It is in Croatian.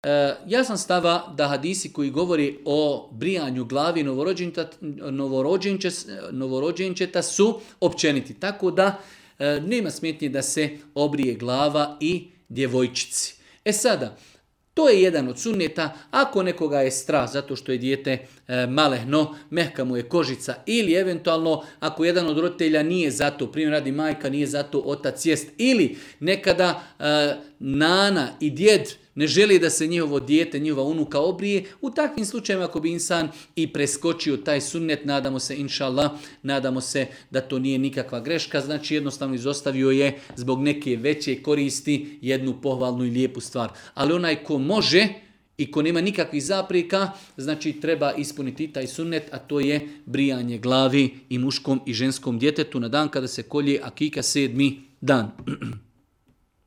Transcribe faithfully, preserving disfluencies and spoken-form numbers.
E, ja sam stava da hadisi koji govori o brijanju glavi novorođenčeta, novorođenčeta su općeniti. Tako da e, nema smetnje da se obrije glava i djevojčici. E sada, to je jedan od sunneta. Ako nekoga je strah zato što je dijete e, malehno, mehka mu je kožica, ili eventualno ako jedan od roditelja nije zato, primjer radi majka, nije zato otac jest, ili nekada e, nana i djed ne želi da se njihovo dijete, njihova unuka obrije, u takvim slučajevima ako bi insan i preskočio taj sunnet, nadamo se, inša Allah, nadamo se da to nije nikakva greška, znači jednostavno izostavio je zbog neke veće koristi jednu pohvalnu i lijepu stvar. Ali onaj ko može i ko nema nikakvih zapreka, znači treba ispuniti taj sunnet, a to je brijanje glavi i muškom i ženskom djetetu na dan kada se kolje akika sedmi dan.